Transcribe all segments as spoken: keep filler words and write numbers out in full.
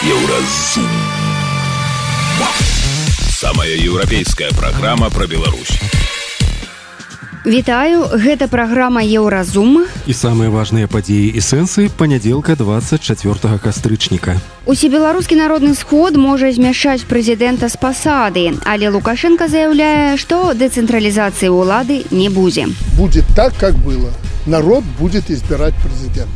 Еўразум. Самая еўрапейская праграма пра Беларусь. Вітаю, гэта праграма Еўразум. І самыя важныя падзеі і сэнсы панядзелка двадцать чацвёртага кастрычніка. Усебеларускі народны сход можа змяшаць прэзідэнта з пасады, але Лукашенко заяўляе, што дэцэнтралізацыі ўлады не будзе. Будет так, как было. Народ будет избирать президента.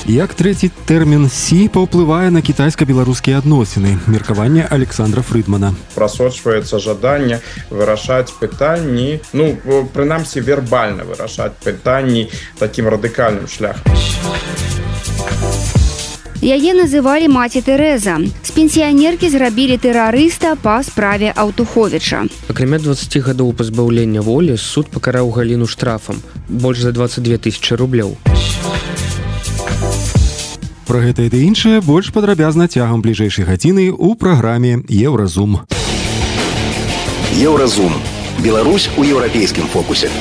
Як трэці тэрмін Сі паўплывае на кітайска-беларускія адносіны? Меркаванне Александра Фрыдмана. Прасочваецца жаданне вырашаць пытанні, ну, прынамсі вербальна вырашаць пытанні такім радыкальным шляхам. Яе называлі маці Тэрэза. З пенсіянеркі зрабілі тэрарыста па справе Аўтуховіча. Акрамя дваццаці гадоў пазбаўлення волі, суд пакараў Галіну штрафам больш за дваццаць дзве тысячы рублёў. Пра гэта і іншае больш падрабязна цягам бліжэйшай гадзіны ў праграме Еўразум. Еўразум. Беларусь у еўрапейскім фокусе.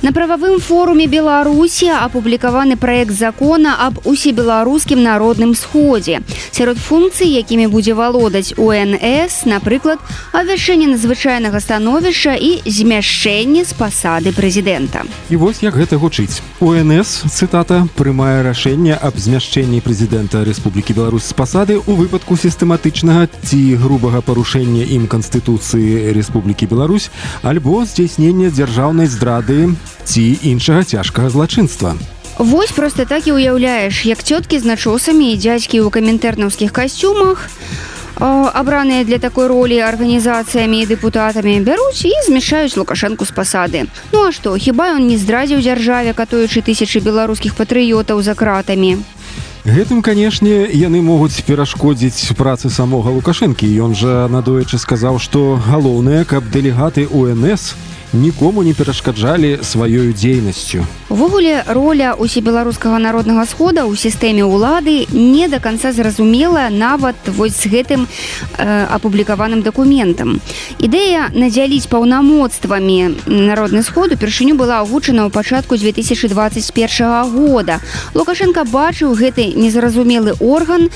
На прававым форуме Беларусі апублікаваны праект закона аб усебеларускім народным сходзе. Сярод функцый, якімі будзе валодаць У Н С, напрыклад, абвяшчэнне надзвычайнага становішча і змяшчэнне з пасады прэзідэнта. І вось як гэта гучыць. У Н С, цытата, прымае рашэнне аб змяшчэнні прэзідэнта Рэспублікі Беларусь з пасады ў выпадку сістэматычнага ці грубага парушэння ім Канстытуцыі Рэспублікі Беларусь альбо здзяйснення дзяржаўнай здрады ці іншага цяжкага злачынства. Вось проста так і ўяўляеш, як цёткі з начосамі і дзядзькі ў камінтэрнаўскіх касцюмах, абраныя для такой ролі арганізацыямі і дэпутатамі, бяруць і змяшаюць Лукашэнку з пасады. Ну а што, хіба ён не здрадзіў дзяржаве, катуючы тысячы беларускіх патрыётаў за кратамі? Гэтым, канешне, яны могуць перашкодзіць працы самога Лукашэнкі. Ён жа надоечы сказаў, што галоўнае, каб дэлегаты У Н С нікому не перашкаджалі сваёю дзейнасцю. Увогуле, роля усебеларускага народнага схода ў сістэме ўлады не да канца зразумела нават вось з гэтым э, апублікаваным дакументам. Ідэя надзяліць паўнамоцтвамі народны сход упершыню была агучана ў пачатку дзве тысячы дваццаць першага года. Лукашенко бачыў гэты незразумелы орган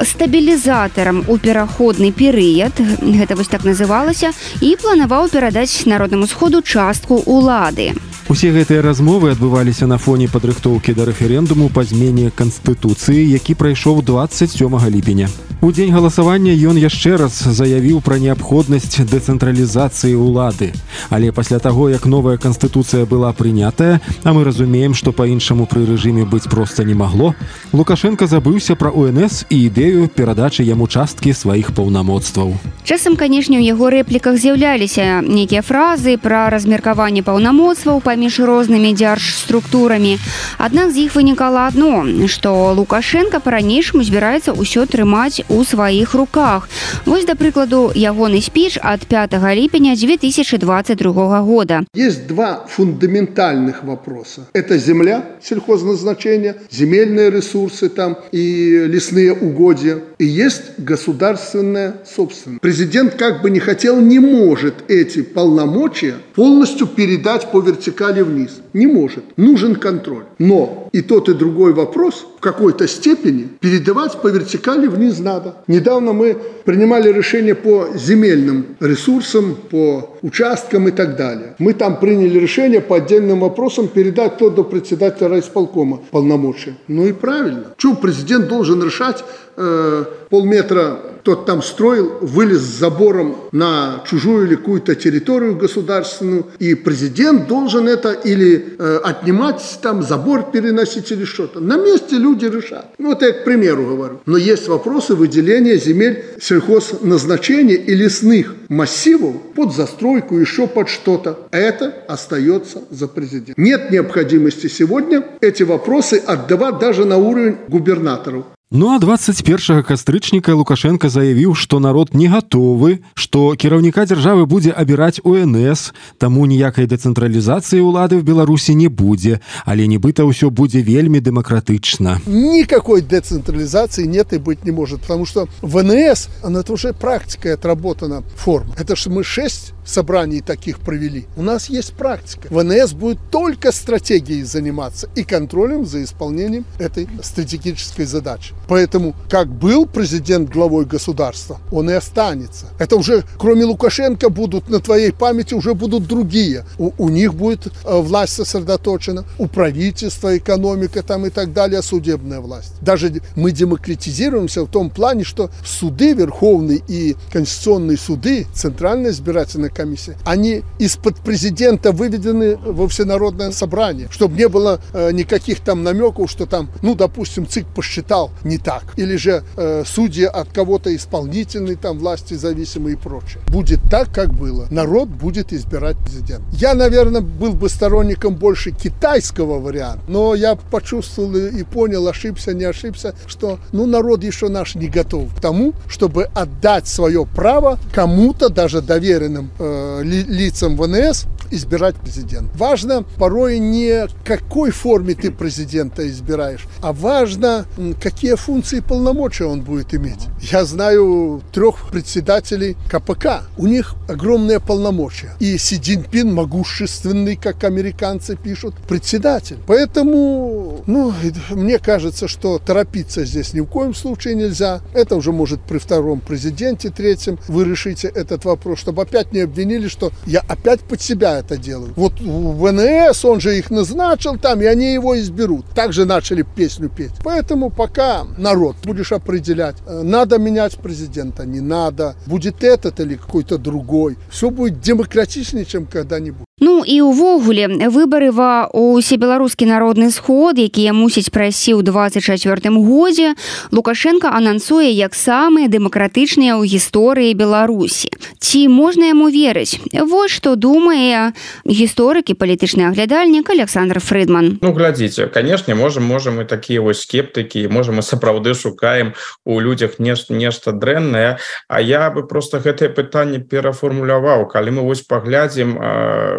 стабілізатарам у пераходны перыяд, гэта вось так называлася, і планаваў перадаць народнаму сходу частку ўлады. Усе гэтыя размовы адбываліся на фоне падрыхтоўкі да рэферэндуму па змене Канстытуцыі, які прайшоў дваццаць сёмага ліпеня. У дзень галасавання ён яшчэ раз заявіў пра неабходнасць дэцэнтралізацыі ўлады. Але пасля таго, як новая Канстытуцыя была прынятая, а мы разумеем, што па-іншаму пры рэжыме быць проста не магло, Лукашенко забыўся пра У Н С і ідэю перадачы яму часткі сваіх паўнамоцтваў. Часам, канешне, у яго рэпліках з'яўляліся нейкія фразы пра размеркаванне паўнамоцтваў паміж рознымі дзяржструктурамі. Аднак з іх вынікала адно, што Лукашенко па-ранейшаму збіраецца ўсё трымаць у сваіх руках. Вось, да прыкладу, ягоны спіч ад пятага ліпеня дзве тысячы двадцать другога года. Есть два фундаментальных вопроса. Это земля, сельхозназначение, земельные ресурсы там и лесные угодья. И есть государственная собственность. Президент, как бы не хотел, не может эти полномочия полностью передать по вертикали вниз. Не может. Нужен контроль. Но и тот, и другой вопрос в какой-то степени передавать по вертикали вниз надо. Недавно мы принимали решение по земельным ресурсам, по участкам и так далее. Мы там приняли решение по отдельным вопросам передать то до председателя райисполкома полномочия. Ну и правильно. Чего президент должен решать э, полметра тот там строил, вылез с забором на чужую или какую-то территорию государственную, и президент должен это или э, отнимать, там забор переносить или что-то. На месте люди решат. Ну, это я к примеру говорю. Но есть вопросы выделения земель сельхозназначения и лесных массивов под застройку, еще под что-то. Это остается за президентом. Нет необходимости сегодня эти вопросы отдавать даже на уровень губернаторов. Ну а двадцать першага кастрычніка Лукашенко заявіў, што народ не гатовы, што кіраўніка дзяржавы будзе абіраць У Н С, таму ніякай дэцэнтралізацыі ўлады в Беларусі не будзе, але нібыта ўсё будзе вельмі дэмакратычна. Никакой децентрализации нет и быть не может, потому что В Н С, она это уже практикой отработана форма. Это же мы шесть собраний таких провели. У нас есть практика. В Н С будет только стратегией заниматься и контролем за исполнением этой стратегической задачи. Поэтому, как был президент главой государства, он и останется. Это уже, кроме Лукашенко, будут на твоей памяти уже будут другие. У, у них будет э, власть сосредоточена, у правительства экономика там и так далее, судебная власть. Даже мы демократизируемся в том плане, что суды, Верховный и Конституционные суды, Центральная избирательная комиссия, они из-под президента выведены во всенародное собрание, чтобы не было э, никаких там намеков, что там, ну, допустим, ЦИК посчитал не так, или же э, судьи от кого-то исполнительной там власти зависимые и прочее. Будет так, как было. Народ будет избирать президента. Я, наверное, был бы сторонником больше китайского варианта, но я почувствовал и понял, ошибся, не ошибся, что, ну, народ еще наш не готов к тому, чтобы отдать свое право кому-то, даже доверенным э, ли, лицам В Н С, избирать президента. Важно порой не в какой форме ты президента избираешь, а важно, какие функции и полномочия он будет иметь. Я знаю трех председателей Ка Пэ Ка. У них огромные полномочия. И Си Цзиньпин могущественный, как американцы пишут, председатель. Поэтому, ну, мне кажется, что торопиться здесь ни в коем случае нельзя. Это уже может при втором президенте, третьем, вы решите этот вопрос, чтобы опять не обвинили, что я опять под себя это делаю. Вот В Н С, он же их назначил там, и они его изберут. Также начали песню петь. Поэтому пока народ будешь определять, надо менять президента, не надо, будет этот или какой-то другой. Все будет демократичнее, чем когда-нибудь. Ну і ўвогуле выбары ва ўсебеларускі народны сход, якія мусіць прайсці ў двадцать чацвёртым годзе, Лукашенко анансуе як самыя дэмакратычныя ў гісторыі Беларусі. Ці можна яму верыць? Вось што думае гісторык і палітычны аглядальнік Александр Фрыдман. Ну, глядзіце, канешне, можам, можам і такія вось скептыкі, можам мы сапраўды шукаем у людзях нешта, нешта дрэннае, а я бы просто гэтае пытанне перафармуляваў. Калі мы вось паглядзім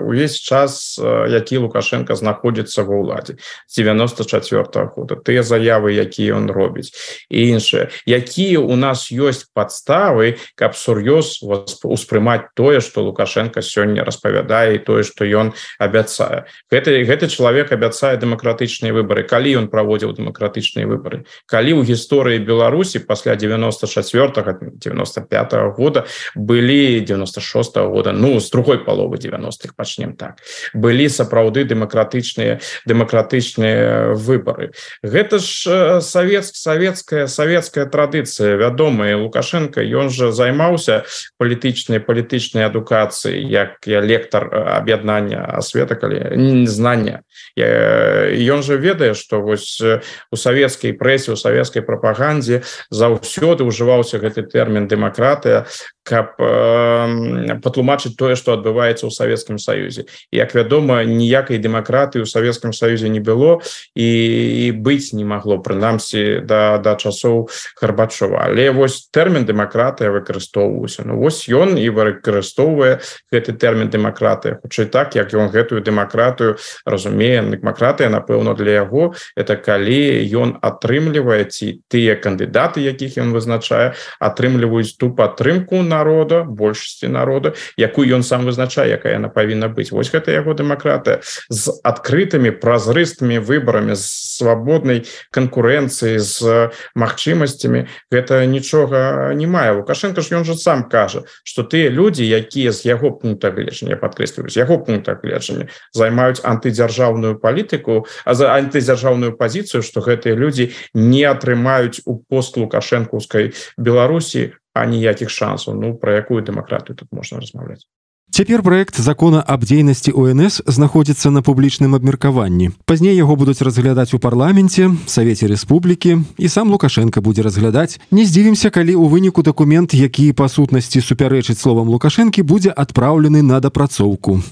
увесь час, які Лукашенко знаходзіцца ва ўладзе з девяносто чацвёртага года, тыя заявы, якія ён робіць і іншыя, якія у нас ёсць падставы, каб сур'ёз успрымаць тое, што Лукашенко сёння распавядае, і тое, што ён абяцае. Гэты, гэты чалавек абяцае дэмакратычныя выбары. Калі ён праводзіў дэмакратычныя выбары? Калі ў гісторыі Беларусі пасля девяносто чацвёртага девяносто пятага года былі девяносто шостага года, ну, з другой паловы девяностых пачнем так, былі сапраўды дэмакратычныя дэмакратычныя выбары. Гэта ж савет, савецкая савецкая традыцыя, вядомая. Лукашенко, ён жа займаўся палітычнай палітычнай адукацыяй, як я лектар аб'яднання асвета, калі знання. Ён жа ведае, што вось у савецкай прэсе, у савецкай прапагандзе заўсёды ўжываўся гэты тэрмін дэмакратыя, каб э, патлумачыць тое, што адбываецца ў Савецкім Саюзе. Як вядома, ніякай дэмакратыі ў Савецкім Саюзе не было і, і быць не магло, прынамсі да, да часоў Гарбачова. Але вось тэрмін дэмакратыя выкарыстоўваўся. Ну вось ён і выкарыстоўвае гэты тэрмін дэмакратыя. Хутчэй так, як ён гэтую дэмакратыю разумее. Дэмакратыя, напэўна, для яго это калі ён атрымлівае, ці тыя кандыдаты, якіх ён вызначае, атрымліваюць ту падтрымку на народа, большасці народа, якую ён сам вызначае, якая яна павінна быць. Вось гэта яго дэмакратыя з адкрытымі, празрыстымі выбарамі, з свабоднай канкурэнцыі, з магчымасцямі. Гэта нічога не мае. Лукашенко ж ён жа сам кажа, што тыя людзі, якія з яго пункта гледжання, падкрэсліваю, з яго пункта гледжання займаюць антыдзяржаўную палітыку, а за антыдзяржаўную пазіцыю, што гэтыя людзі не атрымаюць у постлукашэнкаўскай Беларусі аніякіх шансаў. Ну, пра якую дэмакратыю тут можна размаўляць? Цяпер праект закона аб дзейнасці У Н С знаходзіцца на публічным абмеркаванні. Пазней яго будуць разглядаць у парламенце, Савеце Рэспублікі, і сам Лукашенко будзе разглядаць. Не здзівімся, калі ў выніку дакумент, які па сутнасці супярэчыць словам Лукашэнкі, будзе адпраўлены на дапрацоўку.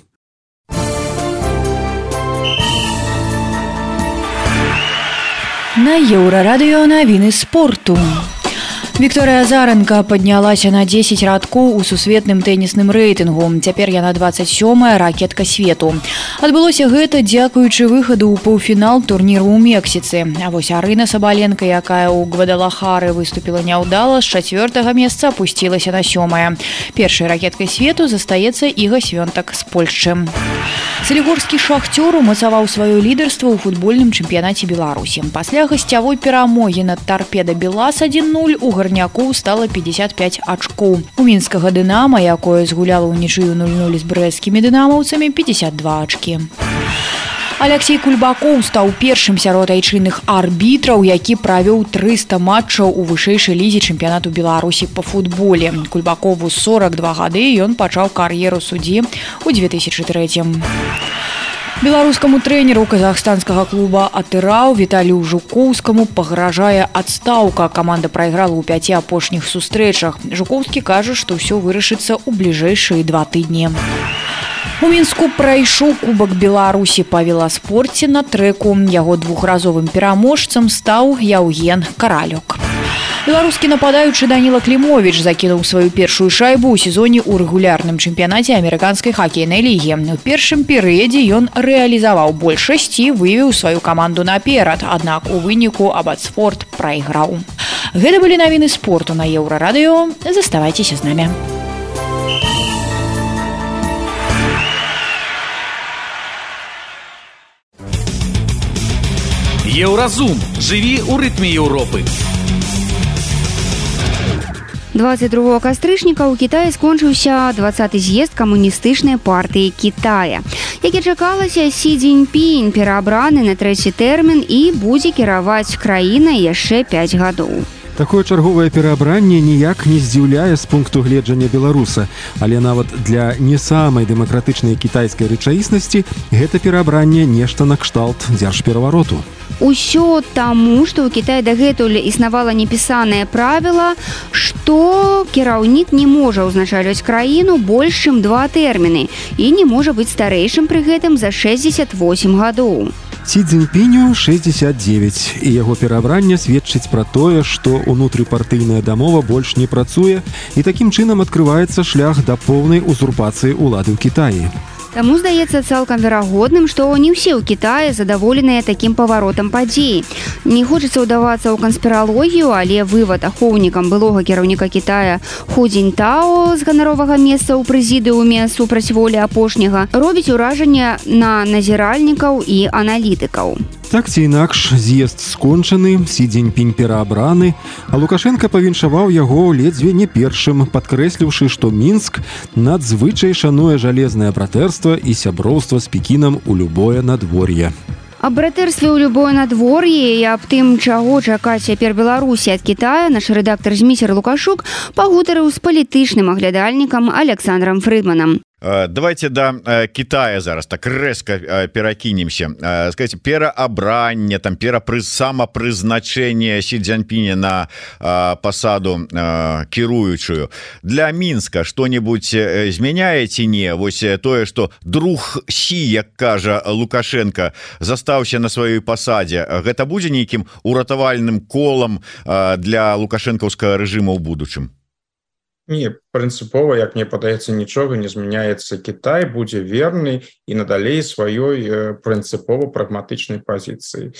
На Еўрарадыё навіны спорту. Вікторыя Азаранка паднялася на дзесяць радкоў у сусветным тэнісным рэйтынгу. Цяпер яна дваццаць сёмая ракетка свету. Адбылося гэта дзякуючы выхаду ў паўфінал турніру ў Мексіцы. А вось Арына Сабаленка, якая ў Гвадалахары выступіла няўдала, з чацвёртага месца апусцілася на сёмае. Першай ракеткай свету застаецца Іга Свёнтак з Польшчы. Салігорскі Шахцёр умацаваў сваё лідарства ў футбольным чэмпіянаце Беларусі. Пасля гасцявой перамогі над Тарпеда Белас адзін нуль у гарнякоў стала пятьдесят пять ачкоў. У мінскага Дынама, якое згуляла ўнічыю нуль нуль з брэсцкімі дынамаўцамі, пятьдесят два ачкі. Алексей Кульбакоў стаў першым сярод айчынных арбітраў, які правёў трыста матчаў у вышэйшай лізе чэмпіянату Беларусі па футболе. Кульбакову сорок два гады, ён пачаў кар'еру суддзі ў две тысячы трэцім. Беларускаму трэнеру казахстанскага клуба «Атырау» Віталію Жукоўскаму пагражае адстаўка. Каманда прайграла ў пяці апошніх сустрэчах. Жукоўскі кажа, што ўсё вырашыцца ў бліжэйшыя два тыдні. У Мінску прайшоў Кубак Беларусі па веласпорце на трэку. Яго двухразовым пераможцам стаў Яўген Каралёк. Беларускі нападаючы Даніла Клімовіч закінуў сваю першую шайбу ў сезоне ў рэгулярным чэмпіянаце амерыканскай хакейнай лігі. У першым перыядзе ён рэалізаваў большасць і вывеў сваю каманду наперад, аднак у выніку Абацфорд прайграў. Гэта былі навіны спорту на Еўрарадыё. Заставайцеся з намі. Еўразум. Жыві ў рытме Еўропы. двадцать другого кастрычніка ў Кітаі скончыўся двадцаты з'езд камуністычнай партыі Кітая. Як і чакалася, Сі Цзіньпінь пераабраны на трэці тэрмін і будзе кіраваць краінай яшчэ пяць гадоў. Такое чарговае пераабранне ніяк не здзіўляе з пункту гледжання беларуса, але нават для не самай дэмакратычнай кітайскай рэчаіснасці гэта пераабранне нешта накшталт дзяржперавароту. Усё таму, што ў Кітаі дагэтуль існавала непісанае правіла, што кіраўнік не можа ўзначальваць краіну больш чым два тэрміны і не можа быць старэйшым пры гэтым за шэсцьдзесят восемь гадоў. Сі Цзіньпіню шэсцьдзесят девять, і яго пераабранне сведчыць пра тое, што ўнутрыпартыйная дамова больш не працуе, і такім чынам адкрываецца шлях да поўнай узурпацыі ўлады ў Кітаі. Таму здаецца цалкам верагодным, што не ўсе ў Кітаі задаволеныя такім паваротам падзей. Не хочацца ўдавацца ў канспіралогію, але вывад ахоўнікам былога кіраўніка Кітая Ху Цзіньтао з ганаровага месца ў прэзідыуме супраць волі апошняга робіць уражанне на назіральнікаў і аналітыкаў. Так ці інакш, з'езд скончаны, Сі Цзіньпінь пераабраны, а Лукашенка павіншаваў яго ледзьве не першым, падкрэсліўшы, што Мінск надзвычай шануе жалезнае братэрства і сяброўства з Пекінам у любое надвор'е. Аб братэрстве ў любое надвор'е і аб тым, чаго чакаць цяпер Беларусі ад Кітая, наш рэдактар Зміцер Лукашук пагутарыў з палітычным аглядальнікам Александром Фрыдманам. Давайте да Китая зараз так рэзка перакінемся. Скажите, пераабранне, там перапрыз самапрызначэнне Сі Цзіньпіня на пасаду кіруючую. Для Мінска што-небудзь змяняе ці не? Вось тое, што друг Сі, як кажа Лукашенко, застаўся на сваёй пасадзе. Гэта будзе нейкім уратавальным колам для лукашэнкаўскага рэжыму ў будучым? Не, прынцыпова, як мне падаецца, нічога не змяняецца. Кітай будзе верны і надалей сваёй прынцыпова прагматычнай пазіцыі.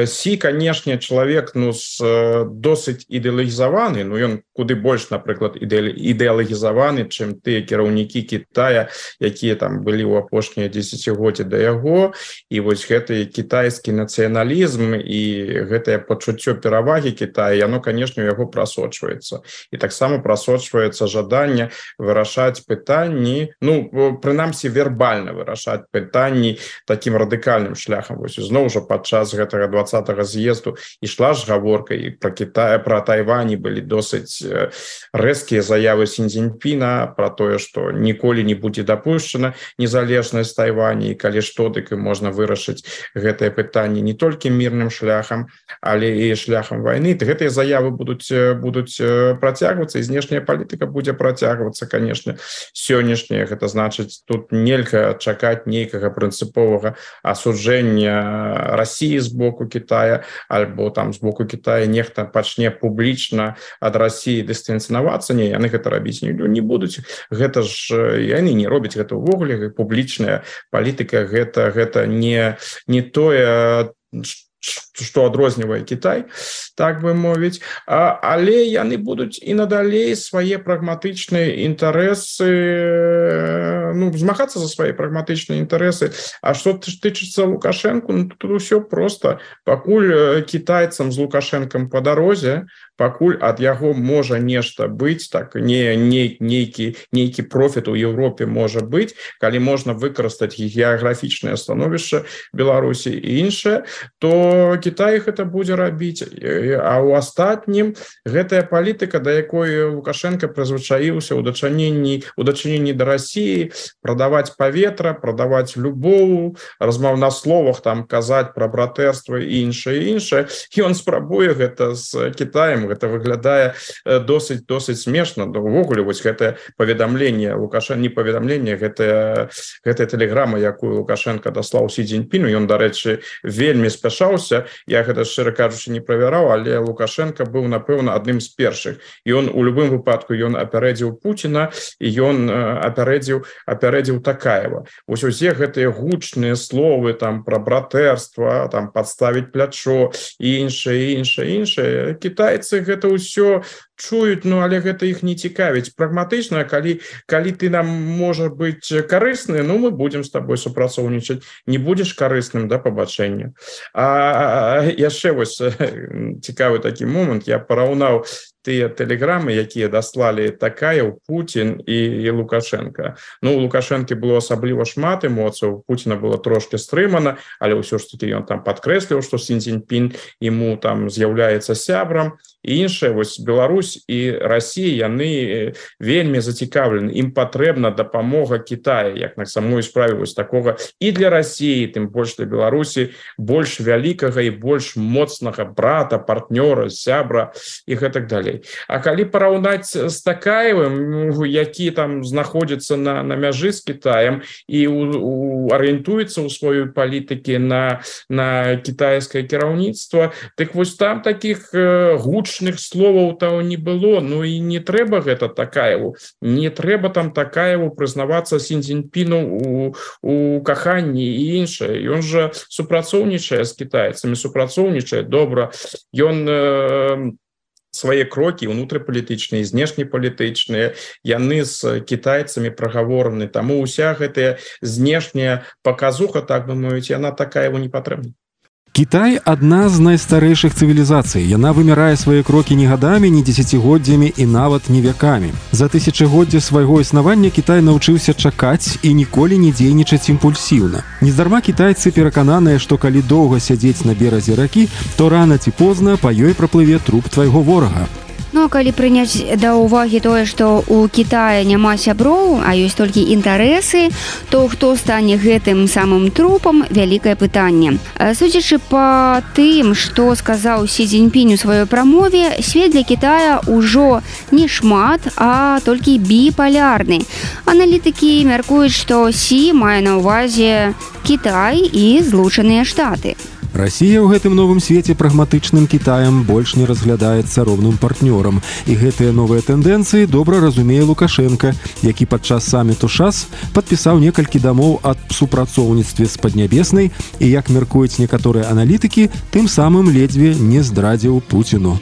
Сі, канешне, чалавек ну, досыць ідэалагізаваны, ну ён куды больш, напрыклад, ідэалагізаваны, чым тыя кіраўнікі Кітая, якія там былі ў апошнія дзесяцігоддзі да яго, і вось гэты кітайскі нацыяналізм і гэтае пачуццё перавагі Кітая, яно, канешне, у яго прасочваецца. І таксама прасочваецца жаданне вырашаць пытанні, ну, прынамсі, вербальна вырашаць пытанні такім радыкальным шляхам. Вось зноў жа падчас гэтага двадцатага з'езду ішла ж гаворка і пра Кітай, пра Тайвань былі досыць рэзкія заявы Сі Цзіньпіна пра тое, што ніколі не будзе дапушчана незалежнасць Тайвані, і калі што, дык і можна вырашыць гэтае пытанне не толькі мірным шляхам, але і шляхам вайны. Гэтыя заявы будуць, будуць працягвацца, і знешняя палітыка будзе будзе працягвацца, конечно, сённяшняе. Это значыць, тут нельга чакаць нейкага прынцыповага асуджэння России з боку Китая, альбо там з боку Китая нехта пачне публічна ад России дыстанцыявацца. Не, яны гэта рабіць не, не будуць. Гэта ж яны не робяць гэта ўвогуле. Публічная палітыка гэта, гэта не, не тое, што адрознівае Кітай, так бы мовіць, а, але яны будуць і надалей свае прагматычныя інтарэсы, ну, змагацца за свае прагматычныя інтарэсы. А што тычыцца Лукашэнку, ну, тут усё просто. Пакуль кітайцам з Лукашэнкам па дарозе, пакуль ад яго можа нешта быць, так, не, не, нейкі, нейкі профіт у Еўропе можа быць, калі можна выкарыстаць геаграфічнае становішча Беларусі і іншае, то Кітай гэта будзе рабіць. А ў астатнім гэтая палітыка, да якой Лукашенко прызвычаіўся ў дачыненні у дачыненні да России, прадаваць паветра, прадаваць любоў, размаў на словах, там казаць пра братэрства і іншае іншае. Ён спрабуе гэта з Кітаем, гэта выглядае досыць досыць смешна. Увогуле вось гэтае паведамленне Лукашенко, не паведамленне, гэтая гэтая тэлеграма, якую Лукашенко даслаў Сі Цзіньпіну, ён, дарэчы, вельмі спяшаўся. Я гэта, шчыра кажучы, не правяраў, але Лукашенко быў, напэўна, адным з першых. І ён у любым выпадку ён апярэдзіў Пуціна, і ён апярэдзіў апярэдзіў Такаева. Вось усе гэтыя гучныя словы там пра братэрства, там падставіць плячо і іншае, іншае, іншае. Кітайцы гэта ўсё чуюць, ну, але гэта іх не цікавіць. Прагматычна, калі, калі ты нам можа быць карысны, ну, мы будзем з табой супрацоўнічаць. Не будзеш карысным, да, пабачэння. А яшчэ вось цікавы такі момант, я параўнаў тыя тэлеграмы, якія даслалі Такаеў, Пуцін і, і Лукашенко. Ну, у Лукашэнкі было асабліва шмат эмоцыяў, у Пуціна было трошки стрымана, але ўсё ж такі ён там падкрэсліў, што Сі Цзіньпін ему там з'яўляецца сябрам. І іншае, вось Беларусь і Россия, яны вельмі зацікаўлены. Ім патрэбна дапамога Китая, як на самой справе вось такога і для России, тым больш для Беларусі, больш вялікага і больш моцнага брата, партнёра, сябра і гэтак далей. А калі параўнаць з Такаевым, які там знаходзіцца на, на мяжы з Китаем і у, у, арыентуецца ў сваёй палітыкі на, на кітайскае кіраўніцтва, дык вось там такіх э, гуч словаў того не было. Ну і не трэба гэта Такаеву, не трэба там Такаеву прызнавацца Сі Цзіньпіну у, у каханні і іншае. Ён жа супрацоўнічае з кітайцамі, супрацоўнічае добра. Ён э, свае крокі унутрыпалітычныя, знешнепалітычныя, яны з кітайцамі прагавораны. Таму ўся гэтая знешняя паказуха, так бы мовіць, яна Такаеву не патрэбна. Кітай – адна з найстарэйшых цывілізацый. Яна вымярае свае крокі не гадамі, не дзесяцігоддзямі і нават не вякамі. За тысячагоддзе свайго існавання Кітай навучыўся чакаць і ніколі не дзейнічаць імпульсіўна. Нездарма кітайцы перакананыя, што калі доўга сядзець на беразе ракі, то рана ці позна па ёй праплыве труп твайго ворага. Ну, а калі прыняць да ўвагі тое, што ў Кітаі няма сяброў, а ёсць толькі інтарэсы, то хто стане гэтым самым трупам, вялікае пытанне. Судзячы па тым, што сказаў Сі Цзіньпінь у сваёй прамове, свет для Кітая ўжо не шмат, а толькі біпалярны. Аналітыкі мяркуюць, што Сі мае на ўвазе Кітай і Злучаныя Штаты. Россия ў гэтым новым свеце прагматычным Кітаем больш не разглядаецца роўным партнёрам. І гэтыя новыя тэндэнцыі добра разумее Лукашенко, які падчас саміту ШАС падпісаў некалькі дамоў аб супрацоўніцтве з Паднябеснай і, як мяркуюць некаторыя аналітыкі, тым самым ледзьве не здрадзіў Пуціну.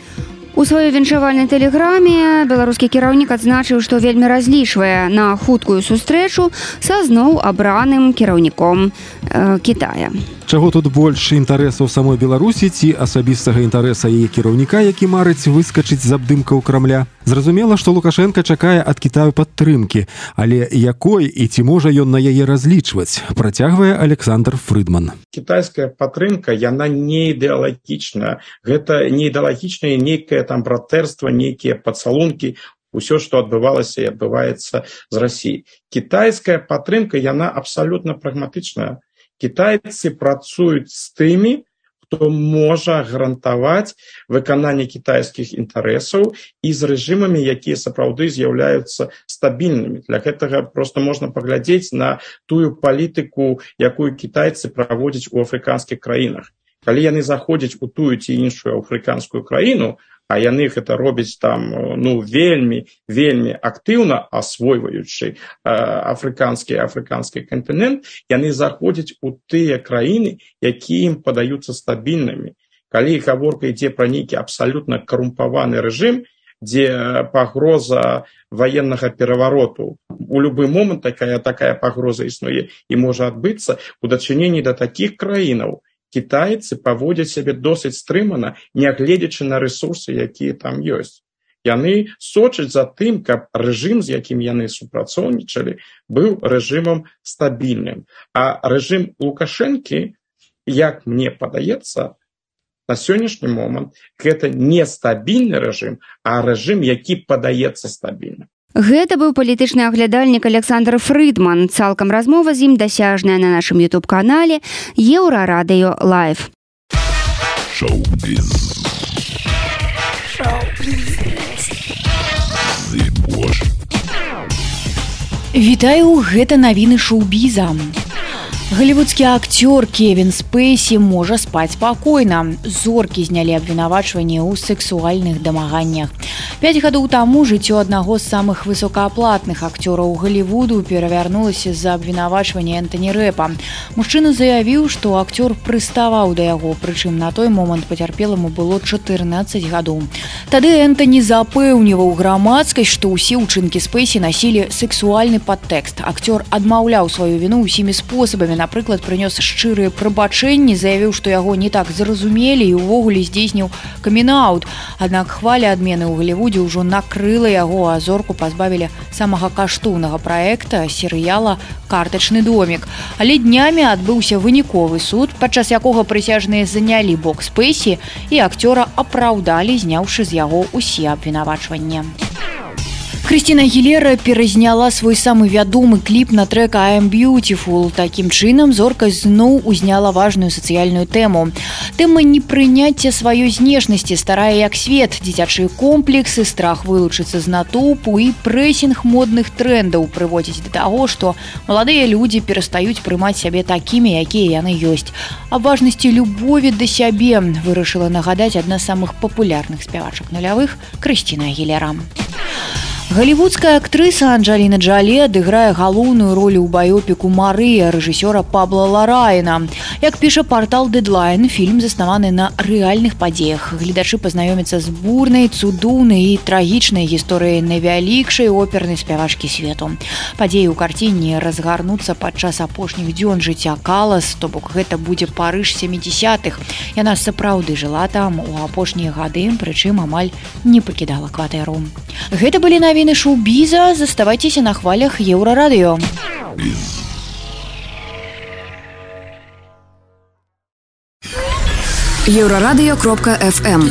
У сваёй віншавальнай тэлеграме беларускі кіраўнік адзначыў, што вельмі разлічвае на хуткую сустрэчу са зноў абраным кіраўніком э, Кітая. Чаго тут больш інтарэсаў самой Беларусі ці асабістага інтарэса яе кіраўніка, які марыць выскачыць з абдымкаў Крамля? Зразумела, што Лукашенко чакае ад Кітаю падтрымкі, але якой і ці можа ён на яе разлічваць, працягвае Александр Фрыдман. Кітайская падтрымка, яна не ідэалагічная. Гэта не ідэалагічнае нейкае там братэрства, нейкія пацалункі, усё, што адбывалася і адбываецца з Россией. Кітайская падтрымка, яна абсалютна прагматычная. Кітайцы працуюць з тымі, хто можа гарантаваць выкананне кітайскіх інтарэсаў і з рэжымамі, якія сапраўды з'яўляюцца стабільнымі. Для гэтага просто можна паглядзець на тую палітыку, якую кітайцы праводзяць у афрыканскіх краінах. Калі яны заходзяць у тую ці іншую афрыканскую краіну, а яны гэта робяць там ну вельмі вельмі актыўна асвойваючы э, афрыканскі афрыканскі кантынент, яны заходзяць у тыя краіны, якія ім падаюцца стабільнымі. Калі гаворка ідзе пра нейкі абсалютна карумпаваны рэжым, дзе пагроза ваеннага перавароту у любы момант такая такая пагроза існуе і можа адбыцца, у дачыненні да такіх краінаў кітайцы паводзяць сябе досыць стрымана, нягледзячы на рэсурсы, якія там ёсць. Яны сочаць за тым, каб рэжым, з якім яны супрацоўнічалі, быў рэжымам стабільным. А рэжым Лукашэнкі, як мне падаецца, на сённяшні момант гэта не стабільны рэжым, а рэжым, які падаецца стабільным. Гэта быў палітычны аглядальнік Александр Фрыдман. Цалкам размова з ім дасяжная на нашым ютуб-канале Еўрарадыё Лайв. Шоу-біз. Шоу-біз. Вітаю, гэта навіны шоу-біза. Голливудскі актёр Кевін Спейсі можа спаць спакойна. Зоркі знялі абвінавачванне ў сексуальных дамаганнях. Пяць гадоў таму жыццё аднаго з самых высокааплатных акцёраў Голливуду перавярнулася з-за абвінавачвання Энтоні Рэпа. Мужчына заявіў, што акцёр прыставаў да яго, прычым на той момант пацярпеламу было чатырнаццаць гадоў. Тады Энтоні запэўніваў грамадскасць, што ўсе ўчынкі Спейсі насілі сексуальны падтэкст. Акцёр адмаўляў сваю віну ўсімі спосабамі. Напрыклад, прынёс шчырыя прабачэнні, заявіў, што яго не так зразумелі і ўвогуле здзейсніў камін-аут. Аднак хваля адмены ў Голливудзе ўжо накрыла яго, а зорку пазбавілі самага каштоўнага праекта серыяла «Картачны домік». Але днямі адбыўся выніковы суд, падчас якога прысяжныя занялі бок Спейсі і акцёра апраўдалі, зняўшы з яго ўсе абвінавачванні. Крыстина Агілера перазняла свой самы вядомы кліп на трэк «I am beautiful». Такім чынам зорка зноў узняла важную сацыяльную тэму. Тэма непрыняцця сваёй знешнасці, старая як свет, дзіцячыя комплексы, страх вылучыцца з натоўпу і прэсінг модных трэндаў прыводзіць да таго, што маладыя людзі перастаюць прымаць сябе такімі, якія яны ёсць. Аб важнасці любові да сябе вырашыла нагадаць адна з самых папулярных спявачак нулявых Крыстина Агілера. Голливудская актрыса Анджеліна Джолі адыграе галоўную ролю ў баёпіку «Марыя» рэжысёра Пабла Ларайна. Як піша партал Deadline, фільм заснаваны на рэальных падзеях. Гледачы пазнаёмяцца з бурнай, цудоўнай і трагічнай гісторыяй найвялікшай опернай спявачкі свету. Падзеі ў карціне разгарнуцца падчас апошніх дзён жыцця Калас, то бок гэта будзе Парыж сямідзесятых. Яна сапраўды жыла там у апошнія гады, прычым амаль не пакідала кватэру. Гэта былі навіны шоу-біза, заставайцеся на хвалях Еўрарадыё. Еўрарадыё кропка эф эм.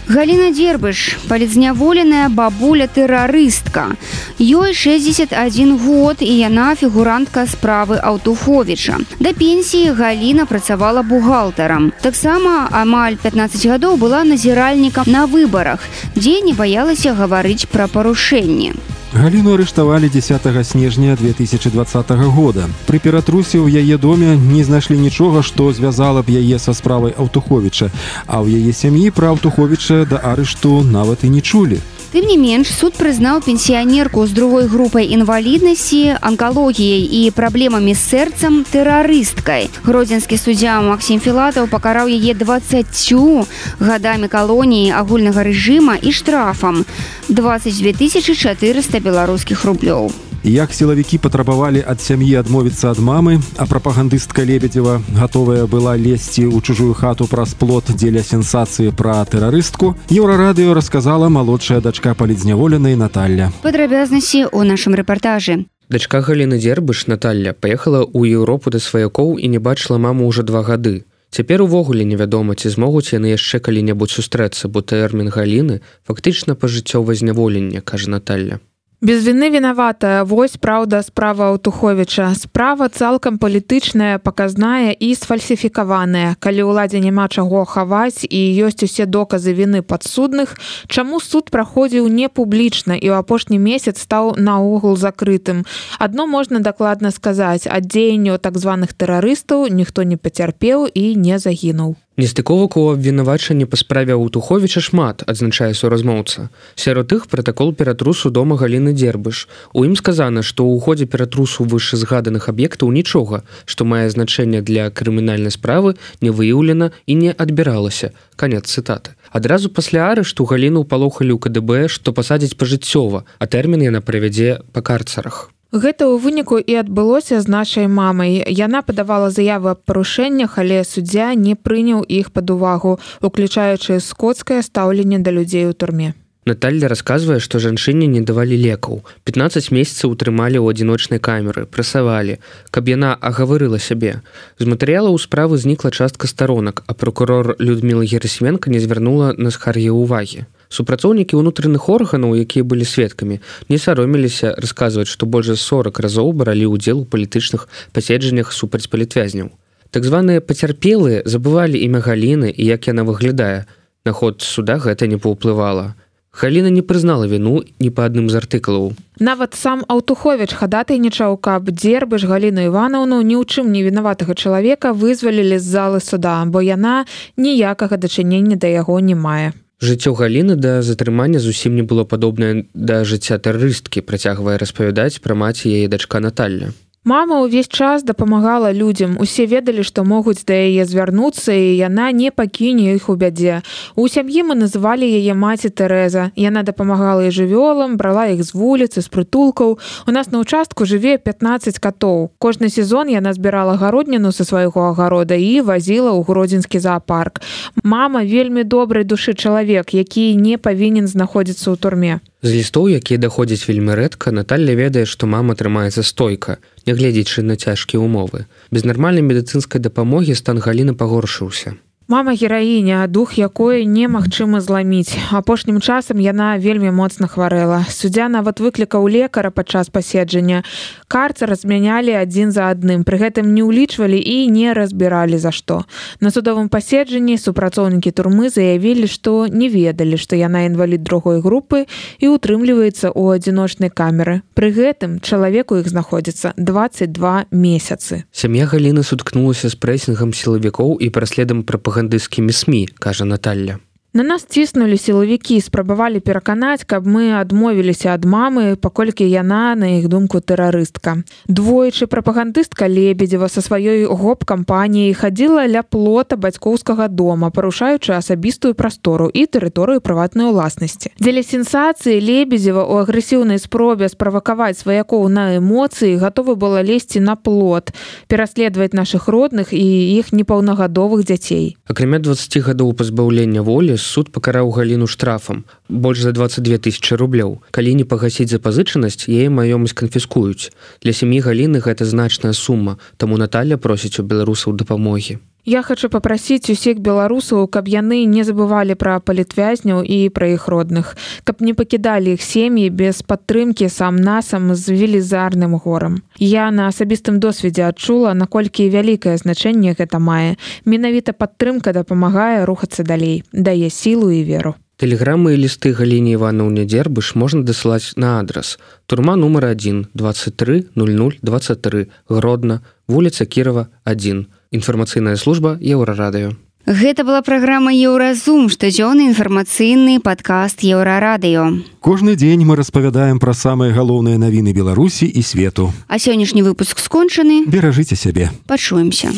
Галіна Дзербыш, палізняволеная бабуля-тэрарыстка. Ёй шэсцьдзесят адзін год, і яна фігурантка справы Аўтуховіча. Да пенсіі Галіна працавала бухгалтарам. Таксама амаль пятнаццаць гадоў была назіральнікам на выбарах, дзе не баялася гаварыць пра парушэнні. Галіну арыштавалі дзесятага снежня две тысячи двадцатага года. Пры ператрусе ў яе доме не знайшлі нічога, што звязала б яе са справай Аўтуховіча, а ў яе сям'і пра Аўтуховіча да арышту нават і не чулі. Тым не менш, суд прызнаў пенсіянерку з другой групай інваліднасці, анкалогіяй і праблемамі з сэрцам тэрарысткай. Гродзенскі суддзя Максім Філатаў пакараў яе дваццаццю гадамі калоніі агульнага рэжыма і штрафам дваццаць дзве тысячы чатырыста беларускіх рублёў. Як сілавікі патрабавалі ад сям'і адмовіцца ад мамы, а прапагандыстка Лебедзева гатовая была лезці ў чужую хату праз плот дзеля сенсацыі пра тэрарыстку, Еўрарадыё расказала малодшая дачка палізняволенай Наталля. Падрабязнасці ў нашым рэпартажы. Дачка Галіны Дзербыш, Наталля, паехала ў Еўропу да сваякоў і не бачыла маму ўжо два гады. Цяпер увогуле невядома, ці змогуць яны яшчэ калі-небудзь сустрэцца, бо тэрмін Галіны фактычна пажыццёвае зняволенне, кажа Наталля. Без вины вінаватая, вось праўда справа Аўтуховіча. Справа цалкам палітычная, паказная і сфальсіфікаваная. Калі ўладзе няма чаго хаваць і ёсць усе доказы віны падсудных, чаму суд праходзіў не публічна і ў апошні месяц стаў наогул закрытым? Адно можна дакладна сказаць, ад дзеянняў так званых тэрарыстаў ніхто не пацярпеў і не загінуў. Нестыковак у абвінавачанні па справе Аўтуховіча шмат, адзначае суразмоўца. Сярод іх пратакол ператрусу дома Галіны Дзербыш. У ім сказана, што ў ходзе ператрусу вышэзгаданых аб'ектаў нічога, што мае значэнне для крымінальнай справы, не выяўлена і не адбіралася. Канец цытаты. Адразу пасля арышту Галіну палохалі ў ка дэ бэ, што пасадзяць пажыццёва, а тэрмін яна правядзе па карцарах. Гэта ў выніку і адбылося з нашай мамай. Яна падавала заявы аб парушэннях, але суддзя не прыняў іх пад увагу, уключаючы скоцкае стаўленне да людзей у турме. Наталья расказвае, што жанчыне не давалі лекаў. пятнаццаць месяцаў утрымалі ў адзіночнай камеры, прасавалі, каб яна агаварыла сябе. З матэрыялаў справы знікла частка старонак, а прокурор Людміла Герасіменка не звярнула на скаргі ўвагі. Супрацоўнікі ўнутраных органаў, якія былі сведкамі, не саромеліся расказваць, што больш за сорак разоў бралі ўдзел у палітычных паседжаннях супраць палітвязняў. Так званыя пацярпелыя забывалі імя Галіны і як яна выглядае. На ход суда гэта не паўплывала. Галіна не прызнала віну ні па адным з артыкулаў. Нават сам Аўтуховіч хадатайнічаў, каб Дзербыш Галіну Іванаўну ні ў чым не вінаватага чалавека вызвалілі з залы суда, бо яна ніякага дачынення да яго не мае. Жыццё Галіны да затрымання зусім не было падобнае да жыцця тэрарысткі, працягвае распавядаць пра маці яе дачка Наталья. Мама ўвесь час дапамагала людзям. Усе ведалі, што могуць да яе звярнуцца, і яна не пакіне іх у бядзе. У сям'і мы называлі яе маці Тэрэза. Яна дапамагала і жывёлам, брала іх з вуліцы, з прытулкаў. У нас на ўчастку жыве пятнаццаць катоў. Кожны сезон яна збірала гародніну са свайго агарода і вазіла ў гродзенскі заапарк. Мама вельмі добрай душы чалавек, які не павінен знаходзіцца ў турме. З лістоў, якія даходзяць вельмі рэдка, Наталья ведае, што мама трымаецца стойка, нягледзячы на цяжкія ўмовы. Без нармальнай медыцынскай дапамогі стан Галіны пагоршыўся. Мама гераіня, дух якой немагчыма зламіць. Апошнім часам яна вельмі моцна хварэла. Суддзя нават выклікаў лекара падчас паседжання. Карцар змянялі адзін за адным, пры гэтым не ўлічвалі і не разбіралі за што. На судовым паседжанні супрацоўнікі турмы заявілі, што не ведалі, што яна інвалід другой групы і утрымліваецца ў адзіночнай камеры. Пры гэтым чалавеку іх знаходзіцца дваццаць два месяцы. Сям'я Галіны суткнулася з прэсінгам сілавікоў і праследам прапагандыстамі гандыскімі СМІ, кажа Наталья. На нас ціснулі сілавікі, спрабавалі пераканаць, каб мы адмовіліся ад мамы, паколькі яна, на іх думку, тэрарыстка. Двойчы прапагандыстка Лебедзева са сваёй гоп-кампаніяй хадзіла ля плота бацькоўскага дома, парушаючы асабістую прастору і тэрыторыю прыватнай уласнасці. Дзеля сенсацыі Лебедзева ў агрэсіўнай спробе справакаваць сваякоў на эмоцыі гатовы была лезці на плот, пераследаваць нашых родных і іх непаўнагадовых дзяцей. Акрамя дваццаці гадоў пазбаўлення волі, суд пакараў Галіну штрафам больш за дваццаць дзве тысячы рублёў. Калі не пагасіць запазычанасць, яе маёмасць канфіскуюць. Для сям'і Галіны гэта значная сума, таму Наталья просіць у беларусаў дапамогі. Я хочу папрасіць усіх беларусаў, каб яны не забывалі пра палітвязняў і пра іх родных, каб не пакідалі іх сем'і без падтрымкі сам-насам з велізарным горам. Я на асабістым досведзе адчула, наколькі вялікае значэнне гэта мае. Менавіта падтрымка дапамагае рухацца далей, дае сілу і веру. Тэлеграмы і лісты Галіне Іванаўне Дзербыш можна дасылаць на адрас: турма нумар адзін, двадцать три ноль ноль двадцать три, Гродно, вуліца Кірова, адзін. Інфармацыйная служба Еўрарадыё. Гэта была праграма «Еўразум», штодзённы інфармацыйны падкаст Еўрарадыё. Кожны дзень мы распавядаем пра самыя галоўныя навіны Беларусі і свету. А сённяшні выпуск скончаны. Беражыце сябе. Пачуемся.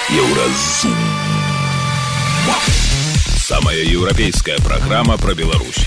Еўразум. Самая еўрапейская праграма пра Беларусь.